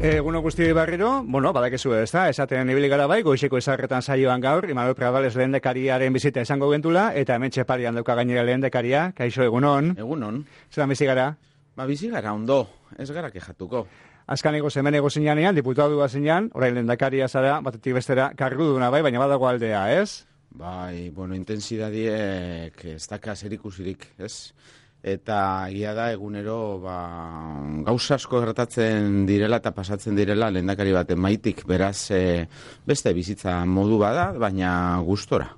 Eguno guztioi barriro, badakizu ezta, esaten ibili gara bai, goizeko izarretan saioan gaur, Imanol Pradales lehendakariaren bizita esango gentula, eta hemen txeparian dauka gainera lehendakaria, kaixo egunon. Egunon. Zeran bizi gara? Bizi gara ondo, ez gara kejatuko. Azkaneko zemenego zinean, diputadua zinean, orain lehendakaria zara, batetik bestera karguduna bai, baina badago aldea, ez? Bai, intensidadiek ez daka zerikusirik, ez? Eta egia da egunero gauza asko gertatzen direla eta pasatzen direla lehendakari baten maitik, beraz beste bizitza modu bada, baina gustora.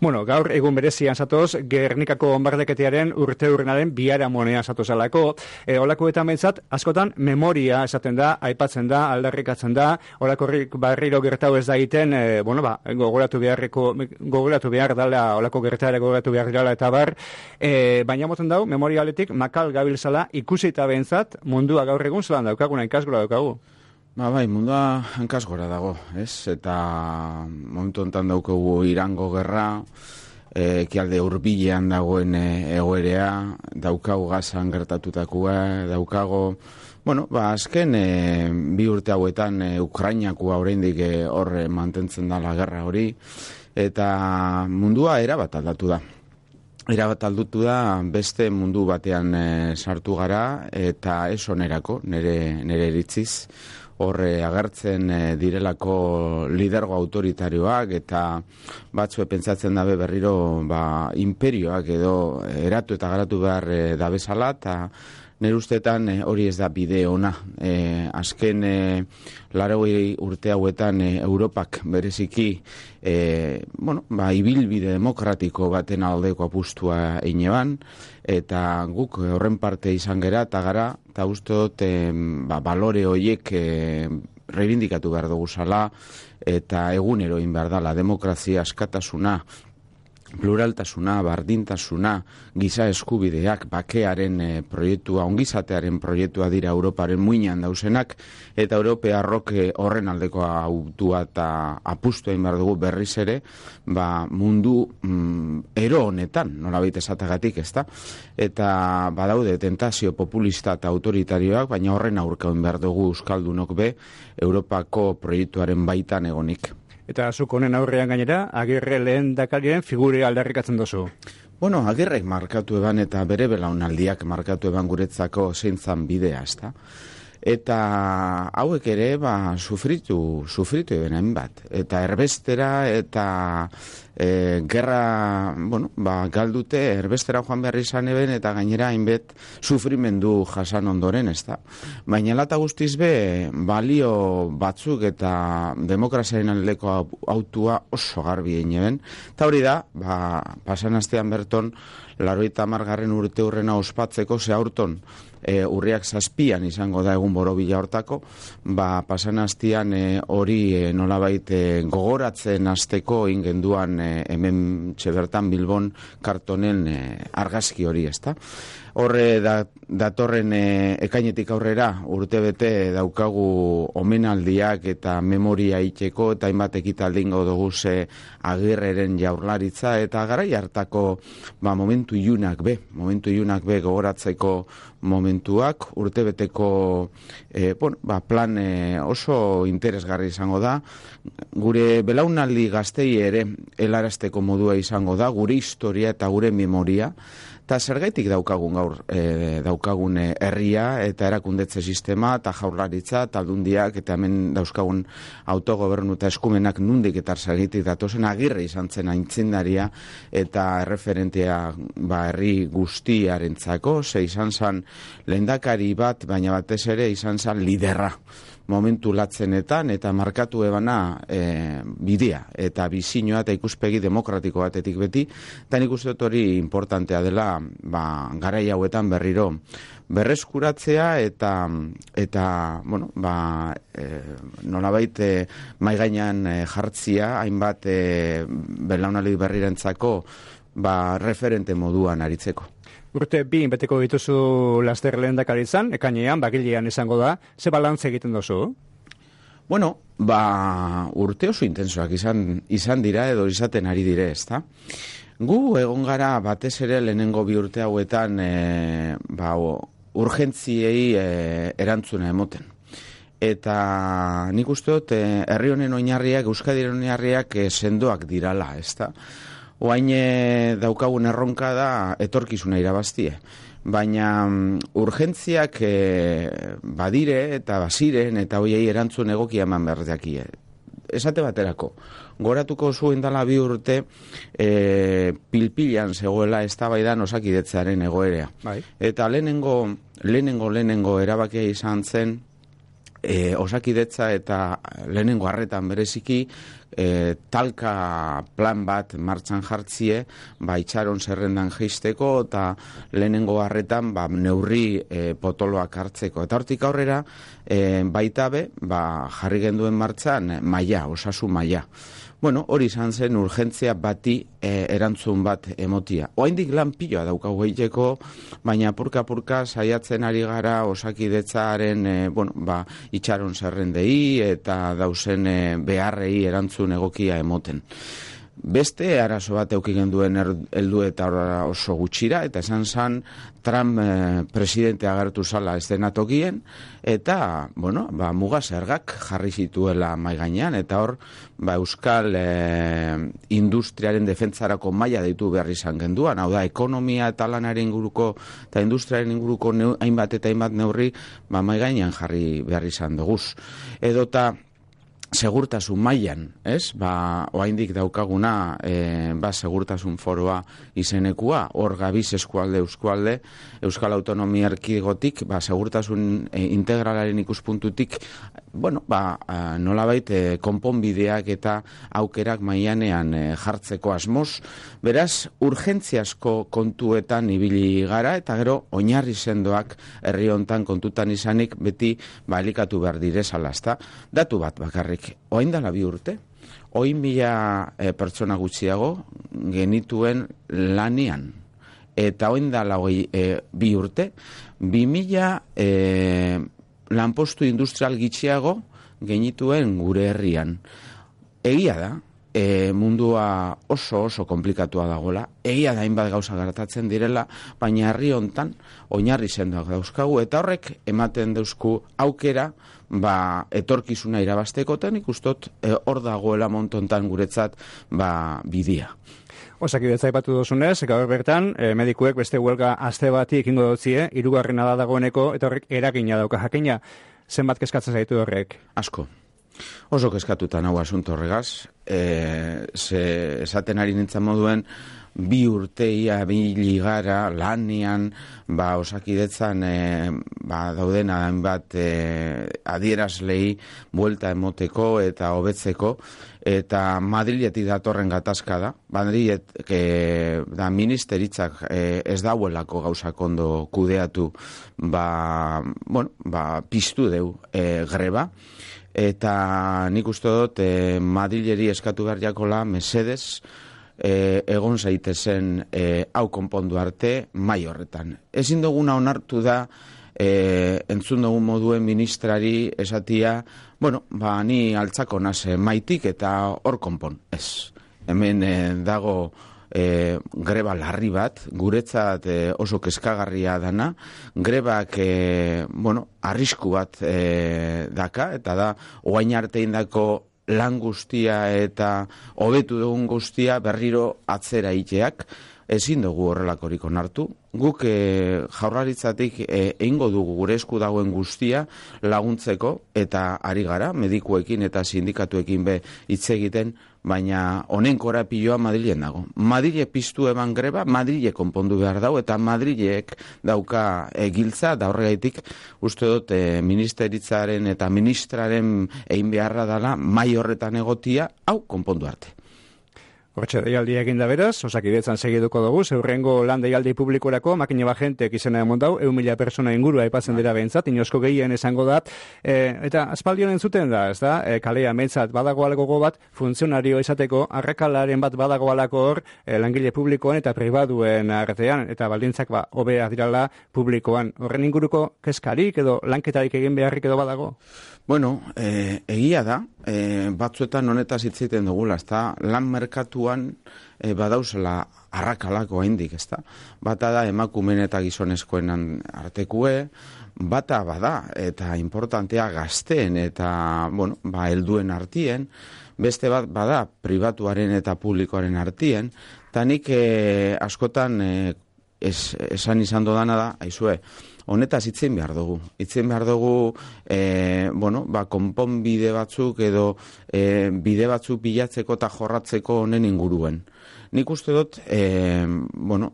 Gaur egun berezian zatoz, Gernikako onbardeketearen urteurrenaren biharamonean zatozalako. Olakoetan behintzat, askotan memoria esaten da, aipatzen da, aldarrikatzen da, olakorrik barriro gertau ez da egiten, gogoratu behar dala, olako gertaera gogoratu behar dala eta bar, baina moten dau, memorialetik makal gabiltzala ikusita behintzat, mundua gaur egun zelan daukaguna, inkasgora daukagu. Bai, mundua hankasgora dago, ez? Eta momentu honetan daukagu Irango gerra, ekialde hurbilean dagoen egoerea, daukagu Gazan gertatutakoa, daukago, azken bi urte hauetan Ukrainakua oraindik hor mantentzen da la gerra hori, eta mundua erabat aldatu da. Erabat aldatu da, beste mundu batean sartu gara, eta ez onerako, nire iritziz, horre agertzen direlako lidergo autoritarioak eta batzue pentsatzen dabe berriro imperioak edo eratu eta garatu behar dabezala eta nire ustetan hori ez da bide ona. Azken 80 urte hauetan Europak bereziki ibilbide demokratiko baten aldeko apustua eineban, eta guk horren parte izan gera eta gara, eta uste dut balore horiek reivindikatu behar dugu zala, eta egunero egin behar dela, demokrazia, askatasuna, pluraltasuna, bardintasuna, giza eskubideak, bakearen proiektua, ongizatearen proiektua dira Europaren muinean dausenak, eta Europearrok horren aldeko autua eta apustu egin behar dugu berriz ere, mundu ero honetan, nolabait esatagatik, ezta? Eta badaude tentazio populista eta autoritarioak, baina horren aurka egin behar dugu euskaldunok be, Europako proiektuaren baitan egonik. Eta zuk honen aurrean gainera, Agirre lehendakarien figure aldarrikatzen dozu. Agirrek markatu eban eta bere belaunaldiak markatu eban guretzako zeintzan bidea, ezta? Eta hauek ere, sufritu ebenen bat. Eta erbestera eta gerra, galdute, erbestera joan behar izan eben eta gainera hainbet sufrimendu jasan ondoren, ezta? Baina lata guztiz be, balio batzuk eta demokraziaren aldeko autua oso garbi egin eben. Eta hori da, pasan astean berton, 80. urte hurrena ospatzeko aurton, urriak 7 izango da egun borobila hortako, pasan astean hori nolabait gogoratzen hasteko ingenduan hemen txebertan Bilbon kartonen argazki hori, ezta? Horre datorren ekainetik aurrera urtebete daukagu omenaldiak eta memoria itxeko eta hainbat ekitaldingo dugu Agirreren jaurlaritza eta garai hartako momentu ilunak be gogoratzeko momentuak urtebeteko plan oso interesgarri izango da. Gure belaunaldi gaztei ere helarazteko modua izango da, gure historia eta gure memoria. Eta zergaitik daukagun herria eta erakundetze sistema eta jaurlaritza eta aldundiak eta hemen dauzkagun autogobernu eta eskumenak nundik eta zergaitik datozen Agirre izan zen aintzindaria eta erreferentea herri guztiarentzako, izan zen lehendakari bat, baina batez ere izan zen liderra momentu latzenetan eta markatu ebana bidea eta bizinoa eta ikuspegi demokratiko batetik beti, eta nik uste dut hori importantea dela garai hauetan berriro berreskuratzea eta bueno, nolabait mai gainean jartzia hainbat belaunaldi berrirentzako referente moduan aritzeko. Urte bi beteko dituzu laster lehendakaritzan, ekainean, bagilean izango da, ze balantze egiten duzu? Bueno, urte oso intensoak izan dira edo izaten ari dire, ezta? Gu egon gara batez ere lehenengo bi urte hauetan urgentziei erantzuna emoten. Eta nik uste dut herri honen oinarriak, Euskadiren oinarriak sendoak dirala, ezta? Oain daukagun erronka da etorkizuna irabaztie. Baina urgentziak badire eta baziren eta hoiei erantzun egokia eman behar jakie. Esate baterako, goratuko zuen dala 2 urte pilpilan zegoela eztabaidan Osakidetzearen egoerea. Bai. Eta lehenengo erabakia izan zen Osakidetza eta lehenengo arretan bereziki talka plan bat martxan jartzie itxaron zerrendan jeisteko eta lehenengo arretan neurri potoloak hartzeko. Eta hortik aurrera baita jarri genduen martxan osasun maila. Bueno, hori izan zen urgentzia bati erantzun bat emotia. Oraindik lan piloa daukagu egiteko, baina apurka saiatzen ari gara Osakidetzaren itxaron zerrendei eta dauzen beharrei erantzun egokia emoten. Beste arazo bat eduki genduen heldu eta oso gutxira, eta esan zan Trump presidente agertu zala eszenatokien, eta, muga zergak jarri zituela mai gainean, eta hor, euskal industriaren defentsarako maila deitu behar izan genduan, hau da, ekonomia eta lanaren inguruko, eta industriaren inguruko hainbat eta hainbat neurri, mai gainean jarri behar izan duguz. Edota, segurtasun mailan, ez? Oraindik daukaguna segurtasun foroa izenekua, hor gabiz eskualde, Euskal Autonomia Erkidegotik, segurtasun integralaren ikuspuntutik, nolabait konponbideak eta aukerak mailanean jartzeko asmoz. Beraz, urgentziasko kontuetan ibili gara, eta gero oinarri sendoak herri hontan kontutan izanik beti elikatu behar direzala, ezta? Datu bat bakarrik. Oain dala 2 urte, 100.000 pertsona gutxiago genituen lanian. Eta oain dala 2 urte, 2.000 lanpostu industrial gitxiago genituen gure herrian. Egia da, mundua oso komplikatua dagoela, egia da hainbat gauza gertatzen direla, baina herri hontan oinarri sendoak dauzkagu, eta horrek ematen dauzku aukera etorkizuna irabazteko, eta nik ustot hor dagoela montontan guretzat bidea. Osakidetza aipatu duzunez, gaur bertan, medikuek beste huelga aste bati ekingo dutzie, 3. da dagoeneko, eta horrek eragina dauka jakina. Zenbat kezkatzen zaitu horrek? Asko. Oso kezkatuta nahu asunto horregaz, esaten ari nintzen moduen, 2 urteia biligara lanian, Osakidetzan dauden hainbat adierazlei buelta emoteko eta hobetzeko, eta Madriletik datorren gatazka da. Madrilet ministeritzak ez dauelako gauzak ondo kudeatu, piztu deu greba, eta nik uste dut Madrileri eskatu behar jakola mesedez egon zaitezen hau konpondu arte mai horretan. Ezin duguna onartu da entzun dugun moduen ministrari esatia, ni altzako nase maitik eta hor konpon. Ez, hemen dago greba larri bat, guretzat oso kezkagarria dana, grebak arrisku bat daka, eta da, oain arte indako lan guztia eta hobetu dugun guztia berriro atzera iteak, ezin dugu horrelakorik onartu. Guk jaurlaritzatik egingo dugu gure esku dagoen guztia laguntzeko, eta ari gara, medikuekin eta sindikatuekin hitz egiten, baina honen korapiloa Madrilen dago. Madrile piztu eman greba, Madrile konpondu behar dago, eta Madrilek dauka giltza, da horregaitik uste dut ministeritzaren eta ministraren egin beharra dela mai horretan egotia, hau konpondu arte. Hortxe deialdi egin da beraz, Osakidetzan segiduko dugu, zeurrengo lan deialdi publikorako, makina bajentek izena emondau, 1.000 persona ingurua aipatzen dira behintzat, inosko gehien esango da, eta aspaldion entzuten da, ez da, kalea metzat badagoalako bat, funtzionario izateko, arrakalaren bat badagoalako hor, langile publikoan eta pribaduen artean, eta baldintzak hobea dirala publikoan. Horren inguruko kezkarik edo lanketarik egin beharrik edo badago? Bueno, egia da, batzuetan honetaz hitz egiten dugula, ezta? Lan merkatuan badauzela arrakalako haindik, ezta? Bata da emakumeen eta gizonezkoen artekue, bata bada eta importantea gazteen eta, bueno, helduen artien, beste bat bada pribatuaren eta publikoaren artien, eta nik askotan esan izan dodana da, aizue, honetaz hitzen behar dugu. Hitzen behar dugu, konponbide batzuk edo bide batzuk bilatzeko eta jorratzeko honen inguruen. Nik uste dut,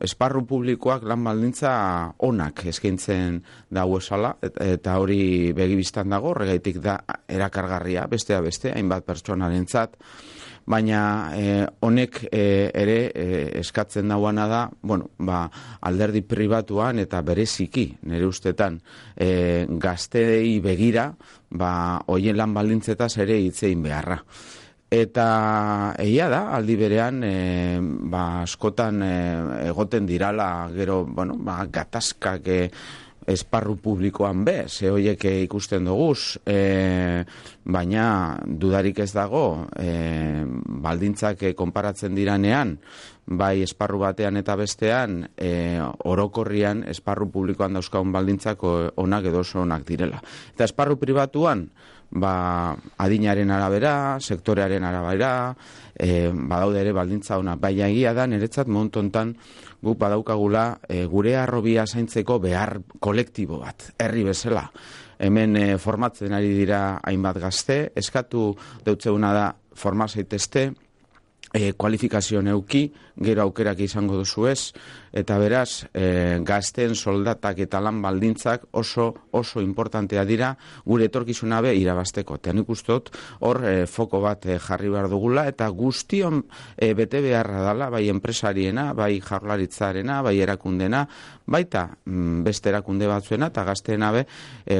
esparru publikoak lan baldintza onak eskaintzen dago esala, eta hori begibistan dago, horregaitik da erakargarria, bestea beste, hainbat pertsonarentzat, baina honek ere eskatzen dauana da, alderdi pribatuan eta bereziki, nire ustetan, gazteei begira, hoien lan baldintzetaz ere hitzein beharra. Eta egia da, aldi berean, askotan egoten dirala, gero, gatazkak esparru publikoan ze horiek ikusten duguz, baina dudarik ez dago, baldintzak konparatzen diranean, bai esparru batean eta bestean, orokorrian esparru publikoan dauzkagun baldintzak onak edo oso onak direla. Eta esparru pribatuan, adinaren arabera, sektorearen arabera, badaude ere baldintza ona, baina egia da, niretzat montontan guk badaukagula gure harrobia zaintzeko behar kolektibo bat, herri bezala. Hemen formatzen ari dira hainbat gazte, eskatu deutzeuna da forma zaitezte, kualifikazio neuki, gero aukerak izango duzu ez, eta beraz, gazteen soldatak eta lan baldintzak oso importantea dira gure etorkizuna be irabazteko. Eta nik uste dut hor foko bat jarri behar dugula, eta guztion bete beharra dela, bai enpresariena, bai jaurlaritzarena, bai erakundena, baita beste erakunde batzuena, eta gazteena be,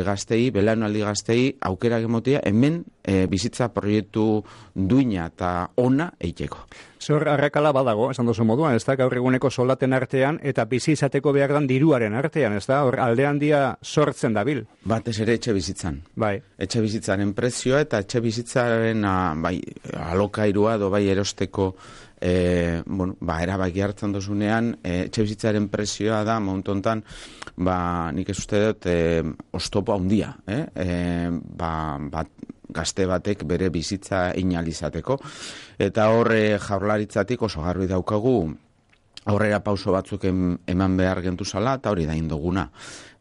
gaztei, belaunaldi gaztei, aukerak emotia, hemen bizitza proiektu duina eta ona eiteko. Zor arrakala badago, esan duzu moduan, ez da, gaur eguneko soldaten artean eta bizi izateko behar dan diruaren artean, ez da, hor alde handia sortzen dabil. Batez ere etxe bizitzan. Bai. Etxe bizitzaren prezioa eta etxe bizitzaren alokairua edo bai erosteko erabaki hartzen dozunean, etxe bizitzaren prezioa da, montontan, nik ez uste dut, oztopo handia, gazte batek bere bizitza inalizateko. Eta horre jaurlaritzatik oso garbi daukagu aurrera pauso batzuk eman behar gentuzala, eta hori da induguna.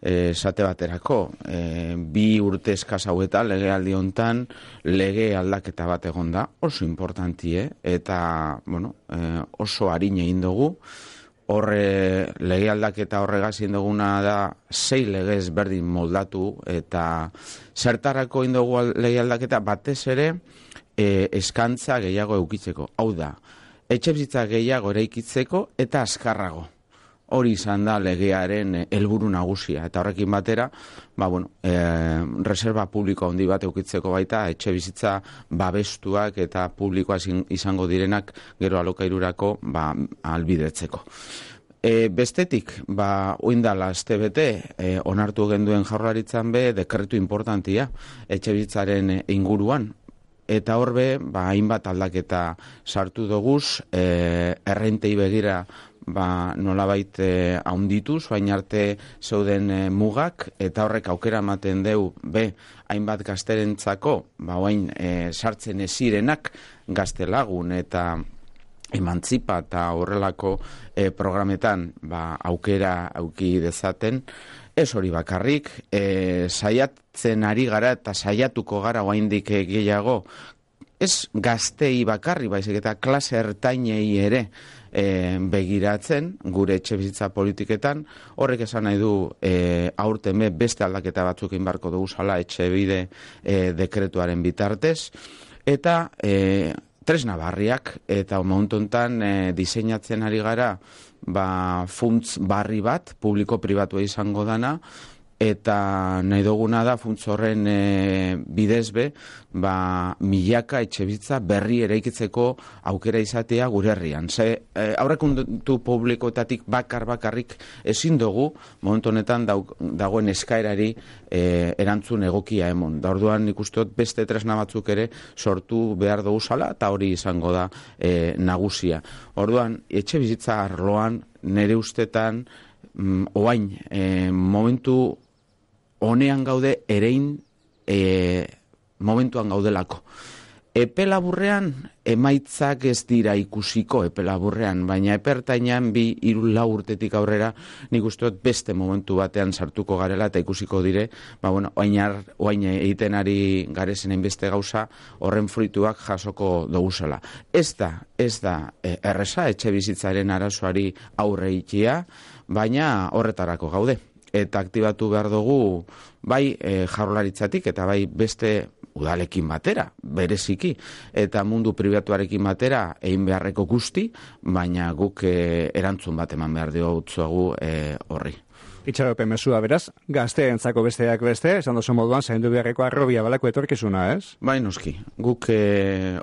Esate baterako, 2 urte eskaz hauetan, legealdi hontan, lege aldaketa bat egon da, oso importantie, eta oso harin egin dugu. Horre lege aldaketa horregaz induguna da 6 legez berdin moldatu, eta zertarako indugu lege aldaketa batez ere eskantza gehiago eukitzeko. Hau da, etxebizitza gehiago eraikitzeko eta azkarrago. Hori izan da legearen helburu nagusia, eta horrekin batera, reserva publiko handi bat eukitzeko baita, etxe bizitza babestuak eta publikoa izango direnak gero alokairurako albidetzeko. Bestetik, oindala astebete, onartu genduen jaurlaritzan be, dekretu importantia etxe bizitzaren inguruan, eta horbe, hainbat aldaketa sartu doguz, errentei begira nolabait haundituz, baina arte zeuden mugak, eta horrek aukera ematen deu, hainbat gazterentzako, oain sartzen ezirenak gaztelagun eta emantzipa eta horrelako programetan aukera auki dezaten. Ez hori bakarrik, saiatzen ari gara eta saiatuko gara oaindik gehiago, ez gaztei bakarri, baizik eta klase ertainei ere begiratzen gure etxe bizitza politiketan. Horrek esan nahi du aurten beste aldaketa batzuk inbarko dugu zala etxe bide dekretuaren bitartez, eta tresna barriak, eta momentu honetan diseinatzen ari gara funtz barri bat, publiko-pribatua izango dana, eta nahi duguna da funtz horren bidez milaka etxebizitza berri eraikitzeko aukera izatea gure herrian. Aurrekontu publikoetatik bakarrik ezin dugu momentu honetan dagoen eskaerari erantzun egokia emon. Da orduan nik uste dut beste tresna batzuk ere sortu behar dugu zala, eta hori izango da nagusia. Orduan, etxebizitza arloan nire ustetan oain momentu honean gaude erein momentuan gaudelako. Epe laburrean emaitzak ez dira ikusiko epe laburrean, baina epertainan 2-3 urtetik aurrera nik uste dut beste momentu batean sartuko garela eta ikusiko dire, oain egiten ari garezen beste gauza horren fruituak jasoko duguzela. Ez da erresa etxe bizitzaren arazoari aurre ikia, baina horretarako gaude. Eta aktibatu behar dugu bai jaurlaritzatik eta bai beste udalekin batera, bereziki, eta mundu pribatuarekin batera egin beharreko guzti, baina guk erantzun bat eman behar diogu horri. Itxaropen mesua beraz, gazteentzako besteak beste, esan dozu moduan, zaindu beharreko arrobia balako etorkizuna, ez? Bai, noski, guk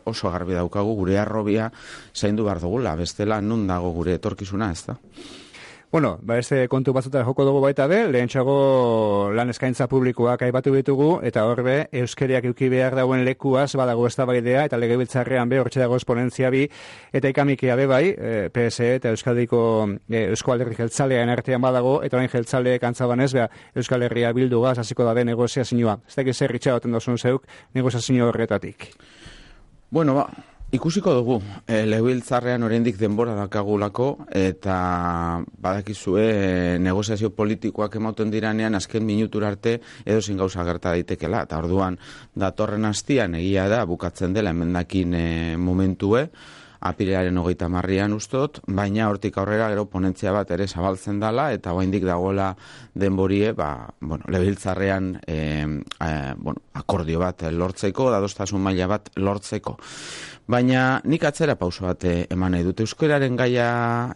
oso garbi daukagu gure arrobia zaindu behar dugula, bestela nun dago gure etorkizuna, ez da? Bueno, beste kontu batzuta joko dugu baita be, lehentxago lan eskaintza publikoak aipatu ditugu, eta horbe, euskeriak euki behar dauen lekuaz, badago eztabaidea eta legebiltzarrean be, hortxe dago esponentzia bi, eta ikamikia be bai, PSE eta Euskadiko Eusko Alderri Jeltzalean artean badago, eta orain jeltzaleek antzabanez, Euskal Herria bildugaz hasiko dabe negoziazioa. Ez dakit zer itxagoten dozun zeuk negoziazio horretatik. Bueno, ikusiko dugu, legebiltzarrean oraindik denbora dakagulako, eta badakizue negoziazio politikoak ematen diranean azken minutura arte edozin gauza gerta daitekela, eta orduan datorren astian egia da bukatzen dela emendakin momentue, apirilaren 30an ustot, baina hortik aurrera gero ponentzia bat ere zabaltzen dala, eta oraindik dagoela denborie, legebiltzarrean akordio bat lortzeko, adostasun maila bat lortzeko. Baina nik atzera pauso bat eman nahi dut. Euskararen gaia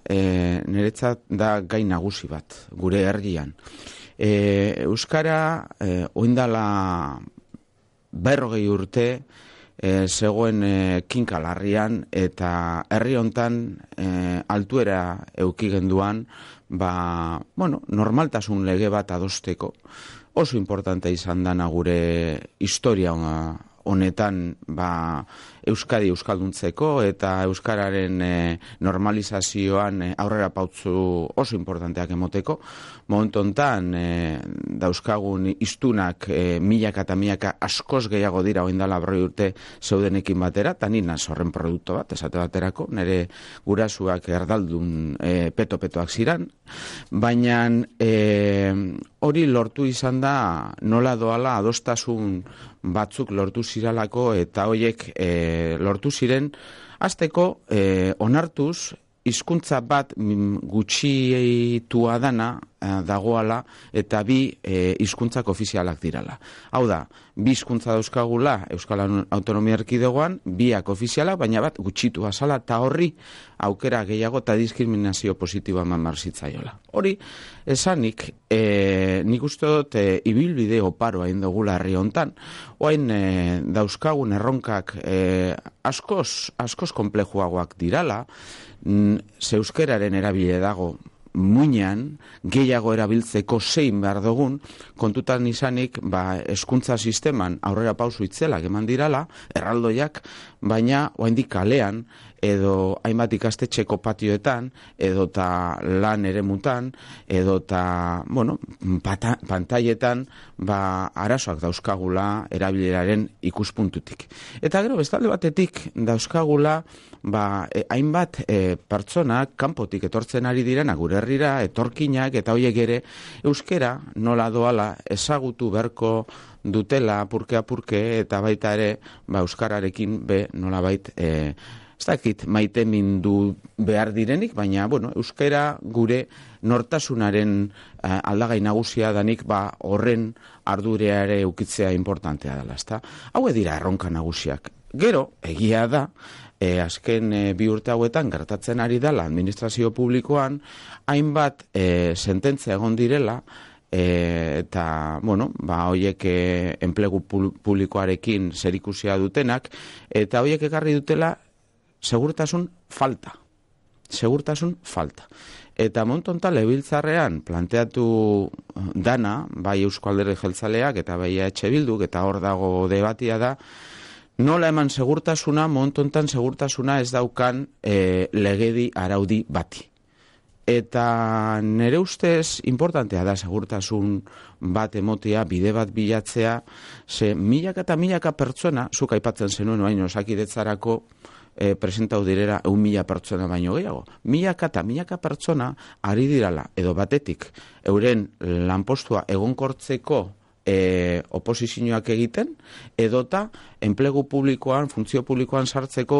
niretzat da gai nagusi bat, gure herrian. Euskara oindala 40 urte zegoen kinkalarrian eta herri hontan altuera euki genduan normaltasun lege bat adosteko. Oso importante izan dana gure historia honetan Euskadi euskalduntzeko eta euskararen normalizazioan aurrera pautzu oso importanteak emoteko. Momentu hontan dauzkagun hiztunak milaka eta milaka askoz gehiago dira oraindela 40 urte zeudenekin batera, eta ni naz horren produktu bat, esate baterako, nire gurasuak erdaldun peto-petoak ziran, baina hori lortu izan da nola doala adostasun batzuk lortu ziralako, eta horiek lortu ziren hasteko onartuz hizkuntza bat gutxitua dana dagoala eta 2 hizkuntzak ofizialak dirala. Hau da, 2 hizkuntza dauzkagula Euskal Autonomia Erkidegoan, 2 ofizialak, baina bat gutxitua zala, eta horri aukera gehiago eta diskriminazio positiboa eman marzitzaiola. Hori, esanik, nik uste dut ibilbide oparoa indogula herri hontan, oain dauzkagun erronkak askoz konplejuagoak dirala, zeuskeraren erabile dago muinean, gehiago erabiltzeko zein behar dugun, kontutan izanik, hezkuntza sisteman aurrera pausu itzelak eman dirala, erraldoiak, baina oraindik kalean, edo hainbat ikastetxeko patioetan, edota lan eremutan, edota, pantailetan, arazoak dauzkagula erabileraren ikuspuntutik. Eta gero, bestalde batetik dauzkagula, hainbat pertsonak kanpotik etortzen ari direna gure herrira, etorkinak, eta horiek ere euskera nola doala ezagutu beharko dutela apurke, eta baita ere euskararekin nolabait ez dakit maite mindu behar direnik, baina euskara gure nortasunaren aldagai nagusia danik horren ardurea ere ukitzea importantea dela, ezta? Hau dira erronka nagusiak. Gero, egia da, azken 2 urte hauetan gertatzen ari dela administrazio publikoan, hainbat sententzia egon direla, eta, bueno, hoiek enplegu publikoarekin zerikusia dutenak, eta hoiek ekarri dutela segurtasun falta. Eta montonta legebiltzarrean planteatu dana, bai Eusko Alderdi Jeltzaleak eta bai EH Bilduk, eta hor dago debatia da, nola eman segurtasuna, montontan segurtasuna ez daukan legedi araudi bati. Eta nire ustez importantea da segurtasun bat emotea, bide bat bilatzea, ze milaka eta milaka pertsona, zuk aipatzen zenuen baino Osakidetzarako presentau direra 1.000 pertsona baino gehiago. Milaka eta milaka pertsona ari dirala, edo batetik, euren lanpostua egonkortzeko oposizioak egiten, edota enplegu publikoan, funtzio publikoan sartzeko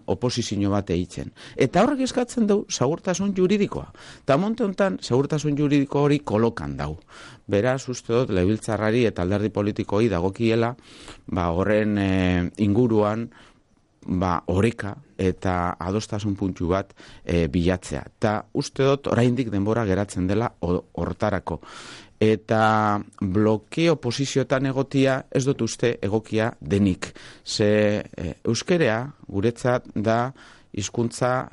oposizio bat egiten. Eta horrek eskatzen du segurtasun juridikoa. Eta monte honetan, segurtasun juridiko hori kolokan dau. Beraz, uste dut, legebiltzarrari eta alderdi politikoi dagokiela, horren inguruan, oreka eta adostasun puntu bat bilatzea. Eta uste dut, oraindik denbora geratzen dela hortarako. Eta blokeo posizioetan egotia ez dut uste egokia denik. Ze euskerea guretzat da hizkuntza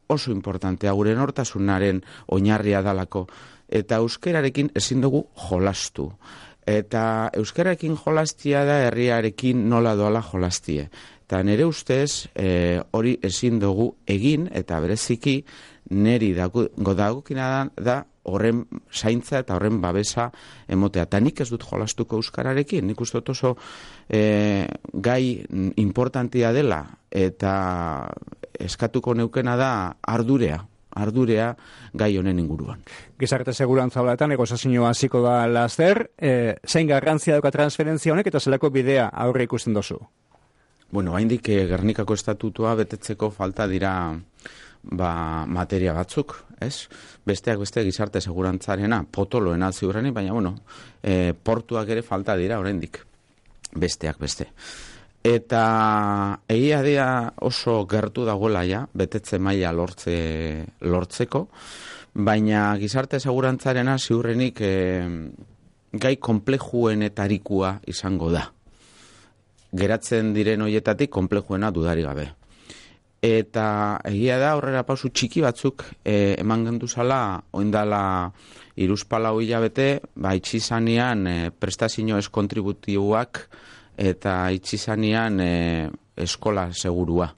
oso importantea, gure nortasunaren oinarria dalako. Eta euskerarekin ezin dugu jolastu. Eta euskararekin jolastia da herriarekin nola doala jolastie. Eta nire ustez hori ezin dugu egin eta bereziki neri dagokina da horren zaintza eta horren babesa emotea. Eta nik ez dut jolastuko euskararekin, nik uste dut oso gai importantia dela eta eskatuko neukena da ardurea gai honen inguruan. Gizarte segurantza horretan, negozazioa hasiko da laster, zein garrantzia dauka transferentzia honek eta zelako bidea aurre ikusten dozu? Bueno, haindik Gernikako estatutua betetzeko falta dira materia batzuk, ez? Besteak beste gizarte segurantzarena, potoloena ziurrenik, baina, portuak ere falta dira oraindik. Besteak beste. Eta egia dira oso gertu dagoela ja, betetze maila lortzeko, baina gizarte segurantzarena ziurrenik gai komplejuenetarikua izango da. Geratzen diren hoietatik komplejuena dudari gabe. Eta egia da aurrera pausu txiki batzuk eman genduzala, oindala 3-4 hilabete, itxizanean prestazio ez kontributiboak eta itxizanean eskola segurua.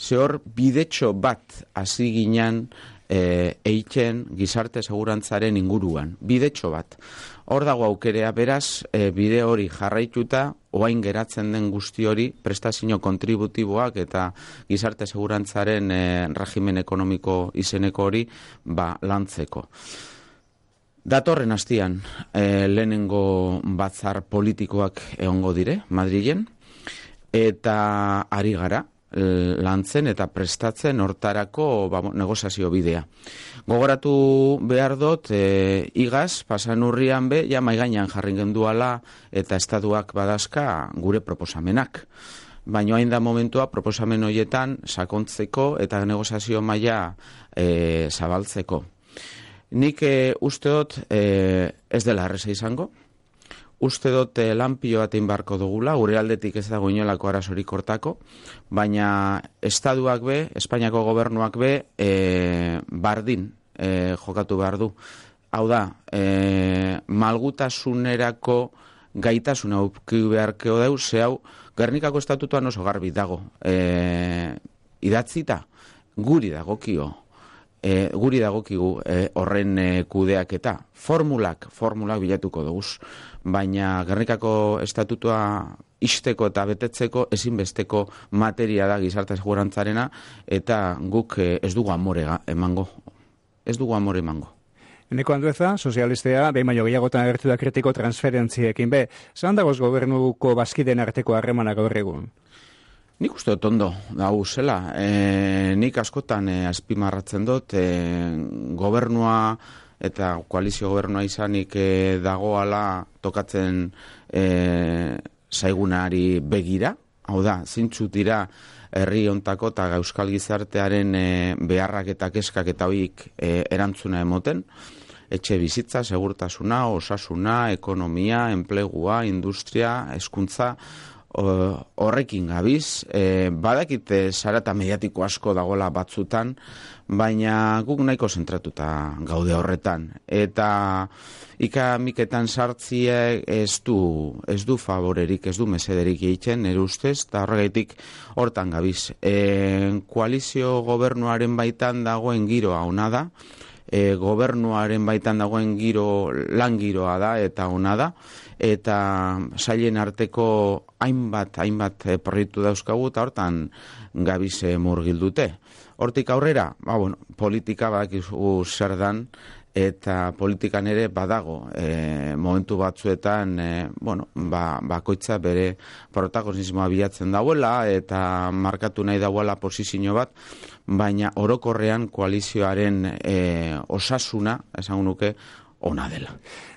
Zehor bidetxo bat hasi ginen eiken gizarte segurantzaren inguruan. Bidetxo bat. Hor dago aukerea, beraz, bide hori jarraituta, oain geratzen den guzti hori, prestazio kontributiboak eta gizarte segurantzaren regimen ekonomiko izeneko hori lantzeko. Datorren hastian, lehenengo batzar politikoak egongo dire, Madrilen, eta ari gara, lantzen eta prestatzen hortarako negoziazio bidea. Gogoratu behar dut, igaz, pasan urrian maigainan jarri genduala eta estatuak badazka gure proposamenak. Baina hain da momentua proposamen horietan sakontzeko eta negoziazio maila zabaltzeko. Nik uste dut ez dela erreza izango. Uste dut lanpio bat inbarko dugula, gure aldetik ez dago inolako arazorik hortako, baina estatuak Espainiako gobernuak bardin jokatu behar du. Hau da, malgutasunerako gaitasuna auki beharkeo dau, ze hau Gernikako estatutuan oso garbi dago. Idatzita, guri dagokigu horren kudeaketa. Formulak bilatuko dugu. Baina Gernikako estatutua ixteko eta betetzeko ezinbesteko materia da gizarte segurantzarena eta guk ez dugu amore emango. Eneko Andueza, sozialistea, behin baino gehiagotan agertu da kritiko transferentziekin. Zan dagoz gobernuko bazkideen arteko harremanak gaur egun? Nik uste dut ondo dago zela. Nik askotan azpimarratzen dut gobernua eta koalizio gobernua izanik dagoala tokatzen zaigunari begira, hau da, zintzu dira herri hontako eta euskal gizartearen beharrak eta keskak eta hoik erantzuna emoten, etxe bizitza, segurtasuna, osasuna, ekonomia, enplegua, industria, hezkuntza, horrekin gabiz, badakite zarata mediatiko asko dagoela batzutan, baina guk nahiko zentratuta gaude horretan. Eta ikamiketan sartzie ez du favorerik, ez du mesederik egiten, nire ustez, eta horregaitik hortan gabiz. Koalizio gobernuaren baitan dagoen giroa ona da, gobernuaren baitan dagoen lan giroa da eta ona da, eta sailen arteko hainbat proiektu dauzkagu eta hortan gabiz murgildute. Hortik aurrera, politika badakizu zer dan, eta politikan ere badago momentu batzuetan bakoitza bere protagonismoa bilatzen dauela eta markatu nahi dauela posizio bat, baina orokorrean koalizioaren osasuna, esango nuke, ona dela.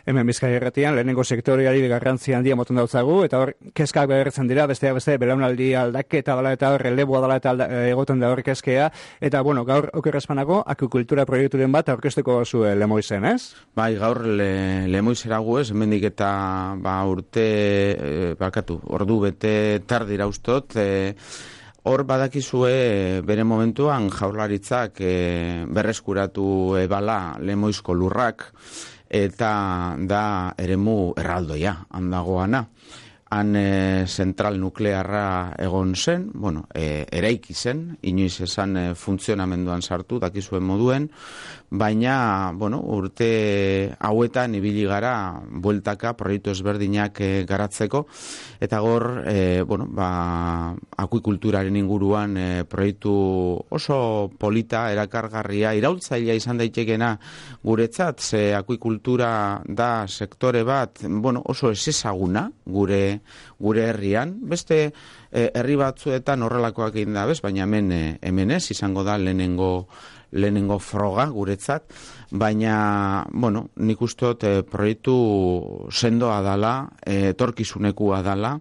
Hemen Bizkaia Irratian lehenengo sektoreari garrantzia handia moten dautzagu, eta hor kezkak beharretzen dira, besteak beste belaunaldi aldaketa dela eta hor releboa dela eta egoten da hor kezkea, eta gaur okerrezpanako akukultura proiekturen bat aurkeztuko zu Lemoizen, ez? Bai, gaur Lemoizera gu ez, hemendik eta ordu bete tardira ustot, hor badakizue bere momentuan Jaurlaritzak berreskuratu ebala Lemoizko lurrak, eta da eremu erraldoia, handagoana. Han zentral nuklearra egon zen, eraiki zen, inoiz esan funtzionamenduan sartu, dakizuen moduen, baina, urte hauetan ibili gara bueltaka proiektu ezberdinak garatzeko, eta gor, akuikulturaren inguruan proiektu oso polita, erakargarria, iraultzailea izan daitekena guretzat, ze akuikultura da sektore bat, oso ezezaguna gure herrian, beste herri batzuetan horrelakoak egin da, baina hemen ez, izango da lehenengo froga guretzat, baina, nik ustot proiektu sendoa dala, etorkizunekua dala,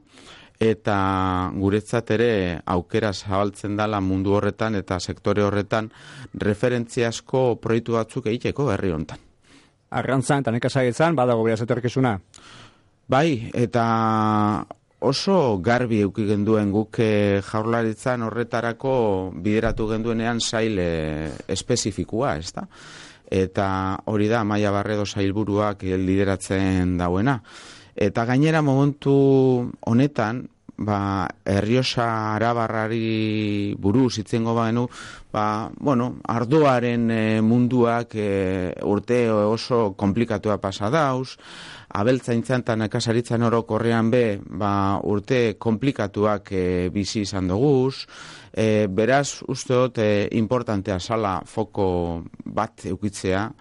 eta guretzat ere aukera zabaltzen dala mundu horretan eta sektore horretan referentziasko proiektu batzuk egiteko herri hontan. Arrantzan eta nekazagintzan badago beraz etorkizuna? Bai, eta oso garbi eduki genduen guk Jaurlaritzan horretarako bideratu genduenean sail espezifikua, ezta? Eta hori da Amaia Barredo sailburuak lideratzen dauena. Eta gainera momentu honetan, Errioxa Arabarrari buruz itzengo bagenu, ardoaren munduak urte oso komplikatua pasa dauz, abeltzaintzan eta nekazaritzan orokorrean urte komplikatuak bizi izan doguz, beraz, uste dut, importantea zala foko bat eukitzea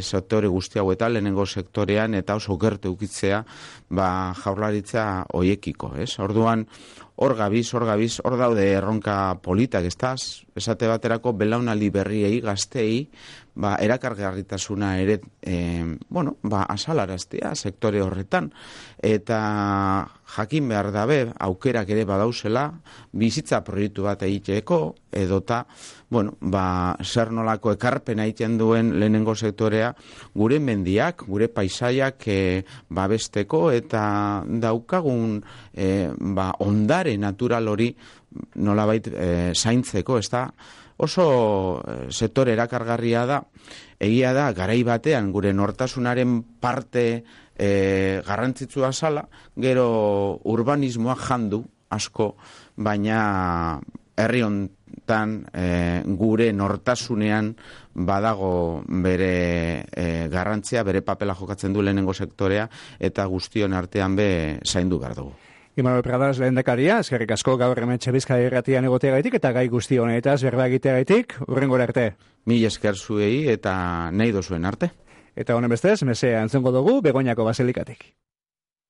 sektore guzti hauetan, lehenengo sektorean, eta oso gertu eukitzea Jaurlaritza hoiekiko, ez? Orduan, hor gabiz, hor daude erronka politak, esate baterako belaunaldi berriei, gaztei, erakargarritasuna ere, azalaraztea sektore horretan, eta jakin behar dabe, aukerak ere badauzela, bizitza proiektu bat egiteko, edota, zer nolako ekarpena egiten duen lehenengo sektorea, gure mendiak, gure paisaiak babesteko, eta daukagun ondare natural hori nolabait zaintzeko, ez da? Oso sektore erakargarria da, egia da, garai batean gure nortasunaren parte garrantzitsua zala, gero urbanismoa jandu asko, baina herri hontan gure nortasunean badago bere garrantzia, bere papela jokatzen du lehenengo sektorea, eta guztion artean zaindu behar dugu. Imanol Pradas lehendakaria, eskerrik asko gaur hemen Bizkaia Irratian egoteagaitik eta gai guzti honetaz berba egiteagaitik, hurrengora arte. Mila esker zuei eta nahi dozuen arte. Eta honen bestez, mesea entzungo dugu Begoñako basilikatik.